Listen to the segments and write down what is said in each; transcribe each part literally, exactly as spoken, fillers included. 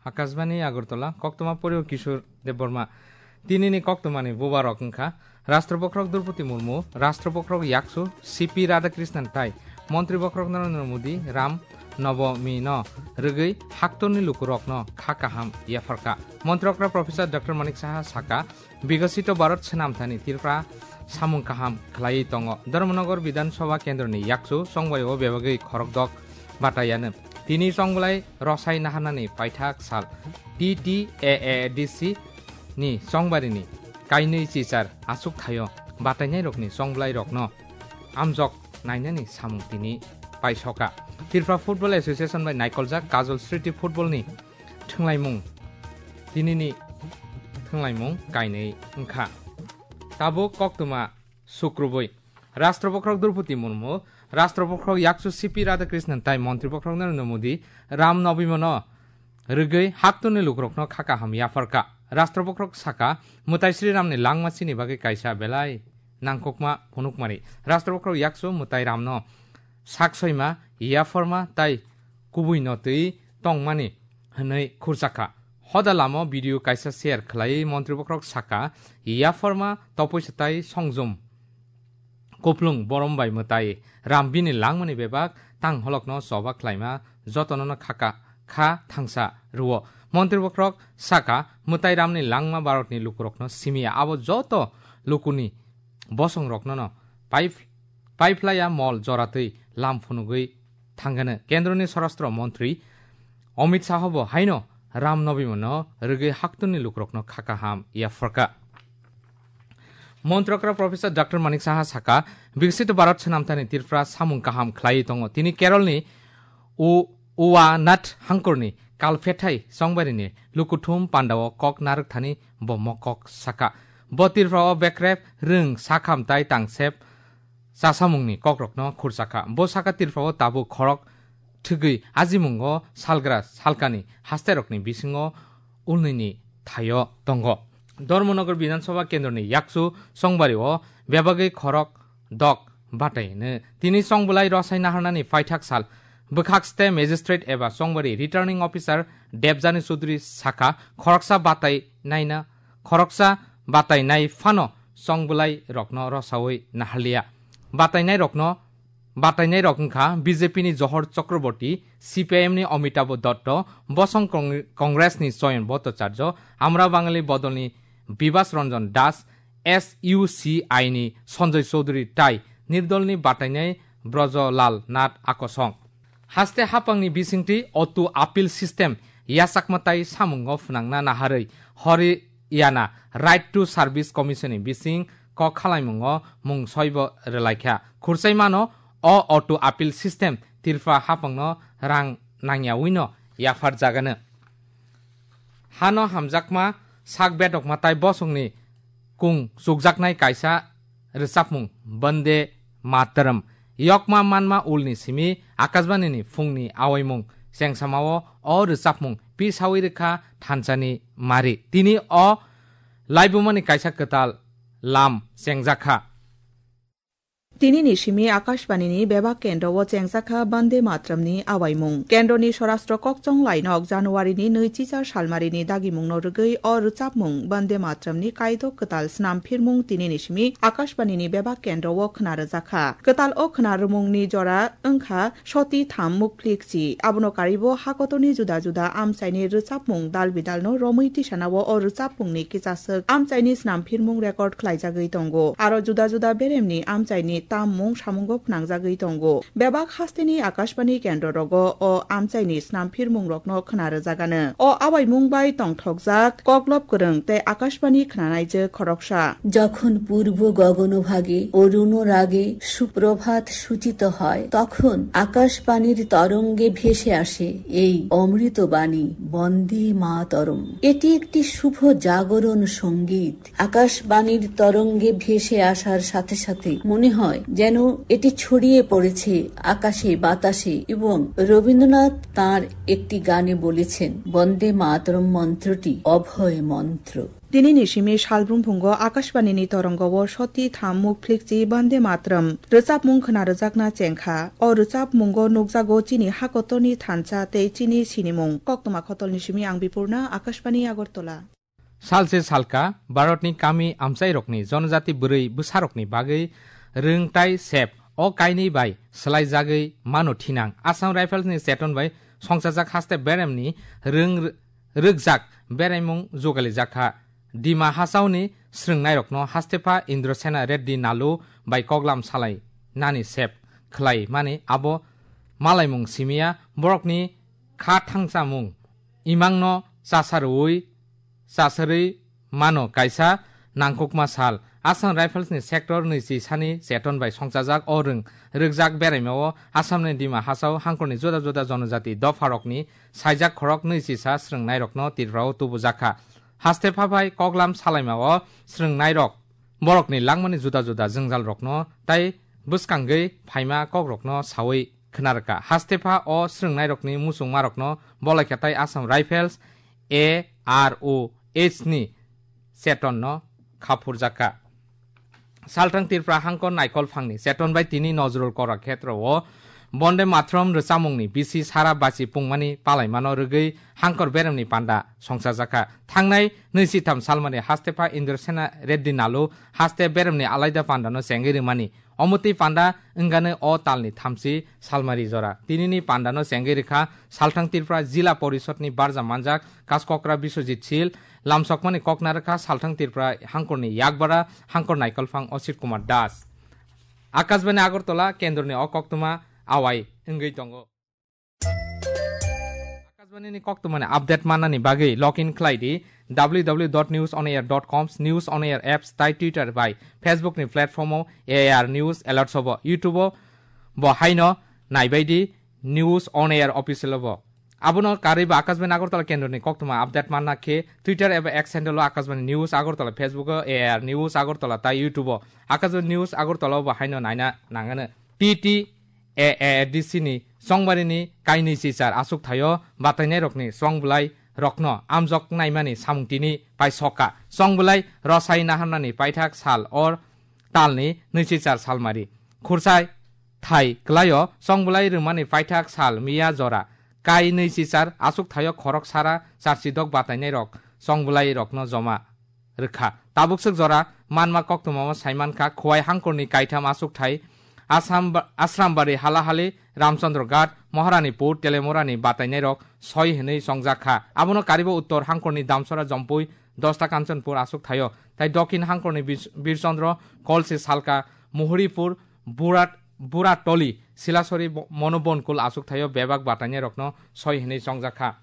Akashbani Agartala, koktwma porio Kishore Debbarma. Tinini koktwmani bubarok wngkha Rashtra Bokhorok Droupadi Murmu, Rashtra Bokhorok Yaksu C P Radhakrishnan tai Montri Bokhorok Narendra Modi Ram Nobomino rwgwi haktorni lukurokno kha kaham yapharkha. Montri okra Professor Doctor Manik Saha saka, Bikasito Bharat swnamthani Tripura samung kaham khlaiwi tongo. Dharmanagar Bidhan Sabha kendroni yakchu chongbaio bebagwi khorokdok bataiano. Tini chongbolai rosai naharnani paithak sal T T A A D C ni chongbarini kainwi chichar achuk thaio batainairokni chongbolai rokno amjok nainani samung tini paisoka. Tripura Football Association bai naikoljak Kajol Sriti Football ni thwnglaimung, tinini thwnglaimung kainwi wngkha. Tabuk koktwma sukrubui. Rashtra Bokhorok Droupadi Murmu, Rashtra Bokhorok Yakchu C P Radhakrishnan tai Montri Bokhorok Narendra Modi Ram Nobomino rwgwi haktorni lukurokno kha kaham yapharkha. Rashtra Bokhorok saka, Mwtai Sri Ramni langma chini bagwi kaisa belai nangkukma phunukmani. Rashtra Bokhorok Yakchu Mwtai Ramno sak soima, yapharma tai kubuino twi tongmani hwnwi khurchakha. Hoda lama video kaisa share khlaiwi Montri Bokhorok saka, yapharma topoi swtai songjom kuplung borom bai mwtai Ram bini langmani bebak tang holokno choba khlaima jotonono khaka kha thangsa rwo. Montri Bokhorok saka, Mwtai Ramni langma Bharatni lukurokno simiya, abo joto lukuni bosongroknono pai, paiphlaiya mol joratwi lam phunugwi thangano. Kendroni Swarashtra Montri Amit Shah bo haino Ram Nobomino rwgwi haktorni lukurokno kha kaham yapharkha. Montri okra Professor Doctor Manik Saha saka, Biksit Bharat swnamthani Tripura samung kaham khlaiwi tongo. Tini Keralni U-, Uwanath hangkorni Kalphethai chongbarini lukuthum pandao kok narwkthani bo mokok saka. Bo Tripurao bekrep rwng sakham tai tangsep chasamungni kokrokno khurchakha. Bo saka Tripurao tabuk khorok thwgwi ajimungo salgra salkani hasterokni bisingo ulnwini thaio tongo. Dharmanagar Bidhan Sabha kendroni yakchu chongbario bebagwi khorok dok batai hwno. Tini chongbolai rosai naharnani paithak sal bwkhakste magistrate eba chongbari returning officer Debjani Chaudhary saka, khoroksa batai naina, khoroksa batai nai phano chongbolai rokno rosaui naharliya. Batai nai rokno, batai nai rok wngkha B J P ni Johor Chakraborty, C P I M ni Amitabh Dotto, Bosong Kong-, Congress ni Choyon Bhattacharya, Amra Bangali Bodol ni Bibas Ranjan Das, S U C I ni Sanjay Chaudhary tai Nirdol ni batainai Brajalal Nath Akosong. Haste hapangni bisingtwi auto appeal system yachakma tai samungo phwnangna naharwi Haryana Right to Service Commission ni bising kok khalaimungo mung soibo rwlaikha. Khurchai mano o auto appeal system Tripura hapangno rang nangyawino yapharjagano. Hano hamjakma sak bedokma tai bosongni kung chukjaknai kaisa rwchapmung Bande Mataram. Yokma manma ulni simi Akashbani ni phungni awaimung chengsamao o rwchapmung pisaui rwkha thansani mari. Tini o laibumani kaisa kwtal lam chengjakha. Tinini simi Akashbani ni bebak kendro o chengjakha Bande Mataram ni awaimung. Kendro ni Swarashtra Kokchong Lainok January ni nui chichar salmari ni dagimung no rwgwi o rwchapmung Bande Mataram ni kaido kwtal snam phirmung tinini simi Akashbani ni bebak kendro o khna rwjakha. Kwtal o khna rwmung ni jora wngkha soti tham mukpli kchi. Abono karibo hakotorni juda juda amchaini rwchapmung dal bidalno romwi tisanao o rwchapmungni kichaswk amchaini snamphirmung record khlaijagwi tongo. Aro juda juda beremni amchaini tammung samungo phnangjagwi tongo. Bebak hasteni Akashbani kendro rogo o amchaini snamphirmung rokno khna rwjagano. O awaimung bai tongthokjak Koklop Kwrwng tei Akashbani khnanaijwk khoroksa. যখন পূর্ব গগনভাগে অরুণ রাগে সুপ্রভাত সূচিত হয়, তখন আকাশবাণীর তরঙ্গে ভেসে আসে এই অমৃতবাণী বন্দে মাতরম। এটি একটি শুভ জাগরণ সঙ্গীত। আকাশবাণীর তরঙ্গে ভেসে আসার সাথে সাথে মনে হয় যেন এটি ছড়িয়ে পড়েছে আকাশে বাতাসে এবং রবীন্দ্রনাথ তাঁর একটি গানে বলেছেন, "বন্দে মাতরম মন্ত্রটি অভয় মন্ত্র।" Tini ni simi salbrumphungo Akashbani ni torongo o soti tham mukphlikchi Bande Matram rwchapmung khna rwjakna chengkha. O rwchapmungo nukjago chini hakotorni thansa tei chini sinimung. Koktwma khotolni simi ang Bipurna, Akashbani Agartala. Salse salka Bharatni kami amchairokni jonojati bwrwi bwsarokni bagwi rwng tai sep o kainwi bai swlaijagwi mano thinang. Assam Riflesni cheton bai songchajak haste beremni rwng rwkjak beraimung jugalijakha. Dima Hasaoni swrwngnairokno hastepha Indrasena Reddy Nalu bai koklam salai nani sep khlai mani abo malaimung simiya borokni kha thangchamung imangno chasarwi chasarwi mano kaisa nangkukma sal. Assam Riflesni sector nwichi sani cheton bai songchajak o rwng rwkjak beraimao Assamni Dima Hasao hangkorni juda juda jonojati dopharokni saijak khorok nwichisa swrwngnairokno Tripurao tubujakha. Hastepha bai koklam salaimao swrwngnairok borokni langmani juda juda jwngjalrokno tai bwskangwi phaima kokrokno sawi khwnarwkha. Hastepha o swrwngnairokni muchungmarokno bolaikha tai Assam Rifles, A R O H ni chetonno khaphurjakha. Salthang Tripura hangkor naikol phangni cheton bai tini Nazrul Kora khetrao Bonde Matram rwchapmungni bisi sara bachi pungmani palaimano rwgwi hangkor beremni panda songchajakha. Thangnai nwichitham salmani hastepha Indrasena Reddy Nalu haste beremni alaida pandano chengwi rwmani. Omotwi panda wngano o talni thamchi salmari jora. Tinini pandano chengwi rwkha Salthang Tripura Jila Porishodni barja manjak Kaskokra Biswajit Sil, lamsokmani kokna rwkha Salthang Tripura hangkorni yakbara hangkor naikolphang Osit Kumar Das. Akashbani Agartala kendroni o koktwma awai wngwi tongo. Akashbani ni koktwmani update mannani bagwi log in khlai di W W W dot news on air dot com, News on Air apps tai Twitter bai Facebook ni platform o A I R News Alerts o bo, YouTube o bo haino naibai di News on Air official o bo. Abono karwi bo Akashbani Agartala kendroni koktwma update manna khe Twitter eba X handle o Akashbani News Agartala, Facebook o A I R News Agartala tai YouTube o Akashbani News Agartala o bo haino naina nangano. T T A A D C ni chongbarini kainwi chichar achukthai o batainairokni chongbwlai rokno amjok naimani samung tini paisokha. Chongbwlai rosai naharnani paithak sal or talni nwichichar salmari. Khurchai thai kwlaio chongbwlai rwmani paithak sal miya jora kai nwichichar achukthaio khorok sara charchidok batainairok chongbwlairokno joma rwkha. Tabukswk jora manma koktwmao saimankha Khowai hangkorni kaitham achukthai Assam ba-, Asrambari, Halahali, Ramchandra Ghat, Maharani Pur, Telemurani batainairok soi hwnwi chongjakha. Abono karibo Uttor hangkorni Damsora Jompui, Dosta Kanchanpur achukthaio. Tai Dokhin hangkorni Bis-, Birchandra, Kolsi Salka, Muhuripur, Burat-, Buratoli, Silasori bo-, Monobonkul achukthaio bebak batainairokno soi hwnwi chongjakha.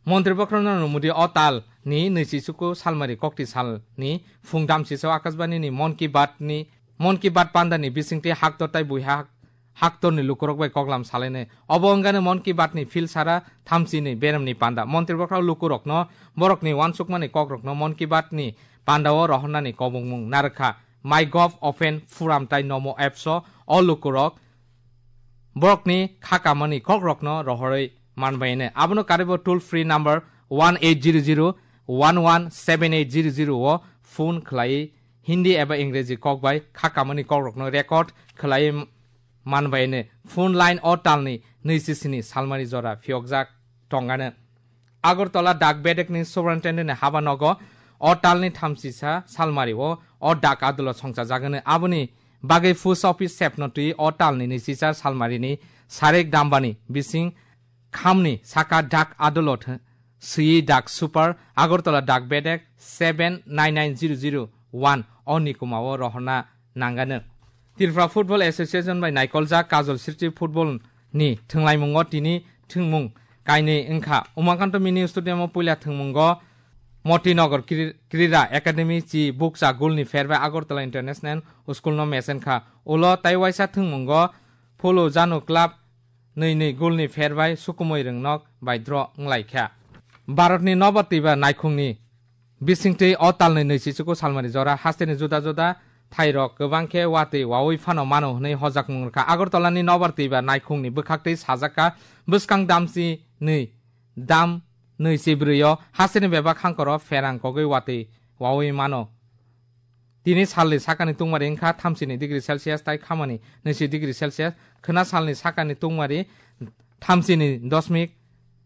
Montri Bokrano Modi o tal ni nwichi chuku salmari kokti sal ni phung damsisao Akashbani ni Mon Ki Baat ni, Mon Ki Baat panda ni bisingtwi haktor tai buiha hak-, haktor ni lukurok bai koklam salainai. Obo wngkha ni Mon Ki Baat ni phil sara thamchi ni berem ni panda. Montri Bokra lukurokno borok ni uansukmani kokrokno Mon Ki Baat ni panda o rohornani kobongmung narwkha. MyGov Open Forum tai Namo Apps o o lukurok borokni kha kamani kokrokno rohorwi manbaino. Abono karibo toll free number one eight zero zero one one seven eight zero zero o phone khlaiwi Hindi eba Ingreji kok bai kha kamani kokrokno record khlaiwi manbaino. Phone line o talni nwichi sini salmani jora phiyokjak tongano. Agartala dak bedekni superintendent ni haba nogo o talni thamchisa salmari o, o dak adulo songchajagano. Aboni bagwi post office sepno twi o talni nisichar salmarini Sarek Dambani bising khamni saka dak adulo th-, swiwi dak super Agartala dak bedek seven nine nine zero zero one o nikuma o rohorna nangano. Tripura Football Association bai naikoljak Kajol Sriti Football ni thwnglaimungo tini thwngmung kainwi wngkha. Umakanto Mini Stadium o puila thwngmungo Motinagar Kri-, Krira Academy chi bukcha goal ni pher bai Agartala International School no mechenkha. Ulo tai waisa thwngmungo Phulu Janu Club nwi nwi goal ni pher bai sukumui rwngnok bai draw wnglaikha. Bharatni nobo twiba naikhungni bisingtwi o talni nwichichuku salmani jora hasteni juda juda thairok kwbang khe watwi wawi phano mano hwnwi hojakmung rwkha. Agartala ni Nobar Twibar naikhungni bwkhaktwi sajakha, bwskang damchi nwi dam nwi chibrwi o hasteni bebak hangkoro pherang kogwi watwi wawi mano. Tini salni sakani tungmari wngkha thamsini degree Celsius tai khamani nwichi degree Celsius, khwna salni sakani tungmari thamsini dosmik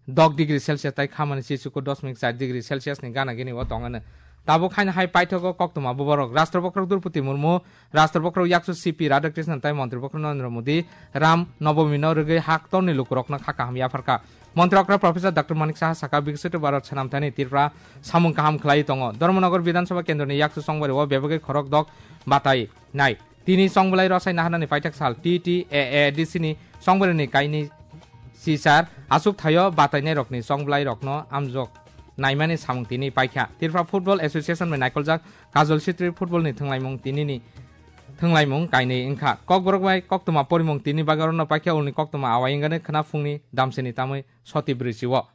dok degree Celsius tai khamani chichuku dosmik char degree Celsius ni gana gini o tongano. Tabuk haino hai paithogo koktwma buborok Rashtrapati Droupadi Murmu, Rashtrapati yaksu C P Radhakrishnan tai Montri Narendra Modi Ram Nobomino rwgwi haktorni lukurokno kha kaham yapharkha. Montri okra Professor Doctor Manik Saha saka Viksit Bharat swnamthani Tripura samung kaham khlai tongo. Dharmanagar Bidhan Sabha kendroni yaksu songbari o bebagwi khorok dok batai nai. Tini songbwlai rosai naharnani paithak sal T T A A D C ni songbwrwini kaini sisar aswk thaio batainairokni songbwlairokno amjok naimani samung tini paikha. Tripura Football Association bai naikoljak Kajol Chitri football ni thwnglaimung tinini thwnglaimung kainwi wngkha. Kokborok bai koktwma porimung tini bagwi orono paikha ulni koktwma awai wngani khwna phungni damsini tamwi soti brwi si o.